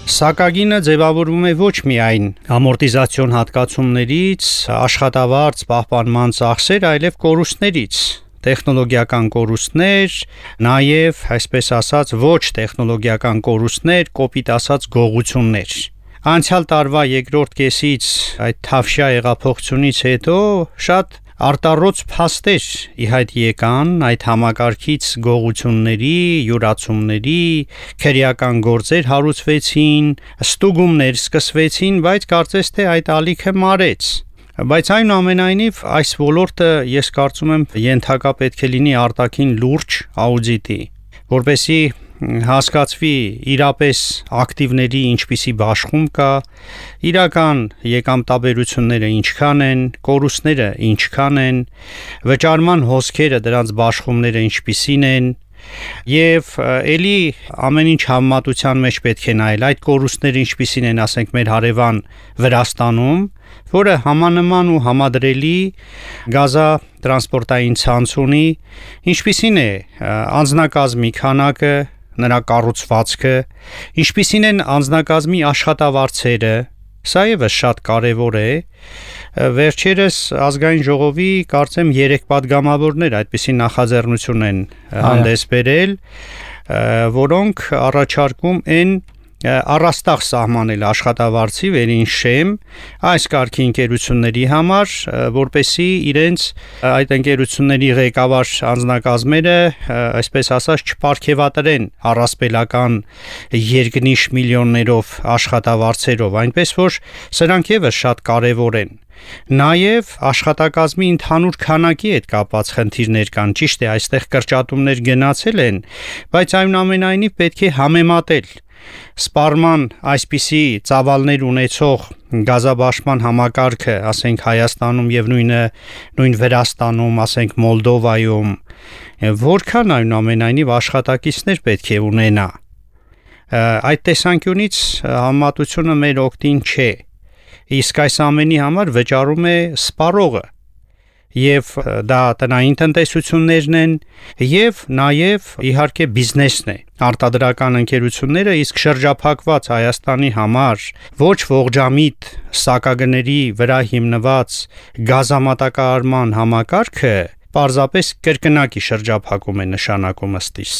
Սակագինը ձևավորվում է ոչ միայն ամորտիզացիոն հատկացումներից, աշխատավարձ պահպանման ծախսեր, այլև կորուստներից, տեխնոլոգիական կորուստներ, նաև, այսպես ասած, ոչ տեխնոլոգիական կորուստներ, կոպիտ ասած գողություններ։ Անցյալ տարվա երկրորդ կեսից այդ թավշյա հեղափոխությունից հետո շատ արտառոց փաստեր ի հայտ եկան այդ համակարգից գողությունների, յուրացումների, քրեական գործեր հարուցվեցին, ստուգումներ սկսվեցին, բայց կարծես թե այդ ալիքը մարեց։ Բայց այնուամենայնիվ այս ոլորտը ես կարծում եմ ենթակա պետք է լինի արտաքին լուրջ աուդիտի, որպեսզի հասկացվի իրապես ակտիվների ինչպիսի բաշխում կա, իրական եկամտաբերությունները ինչքան են, կորուստները ինչքան են, վճարման հոսքերը դրանց բաշխումները ինչպիսին են, եւ ելի ամեն ինչ համեմատության մեջ պետք է նայել այդ կորուստները ինչպիսին են, ասենք մեր հարևան Վրաստանում, որը համանման ու համադրելի գազատրանսպորտային ցանց ունի, ինչպիսին է անձնակազմի քանակը, նրա կառուցվածքը, ինչպիսին են անձնակազմի աշխատավարձերը, սա ևս շատ կարևոր է։ Վերջերս ազգային ժողովի կարծեմ 3 падգամավորներ այդպիսի նախաձեռնություն են հանդես բերել, որոնք առաջարկում են առաստաղ սահմանել աշխատավարձի վերին շեմ այս կարգի ընկերությունների համար, որպեսզի իրենց այդ ընկերությունների ղեկավար անձնակազմերը, այսպես ասած, չպարգևատրեն առասպելական երկնիշ միլիոններով աշխատավարձերով, այնպես որ սրանք ևս շատ կարևոր են։ Նաև աշխատակազմի ընդհանուր քանակի հետ կապված խնդիրներ կան, ճիշտ է, այստեղ կրճատումներ գնացել են, բայց այնուամենայնիվ պետք է համեմատել սպառման այսպիսի ծավալներ ունեցող գազաբաշխման համակարգը, ասենք Հայաստանում եւ նույն Վրաստանում, ասենք Մոլդովայում, որքան այնուամենայնիվ աշխատակիցներ պետք է ունենա։ Այդ տեսանկյունից համեմատությունը մեր օգտին չէ։ Իսկ այս ամենի համար վճարում է սպառողը, եւ դա տնային տնտեսություններն են, եւ նաեւ իհարկե բիզնեսն է, արտադրական ընկերությունները, իսկ շրջափակված Հայաստանի համար ոչ ողջամիտ սակագների վրա հիմնված գազամատակարարման համակարգը պարզապես կրկնակի շրջափակում է նշանակում ըստ իս։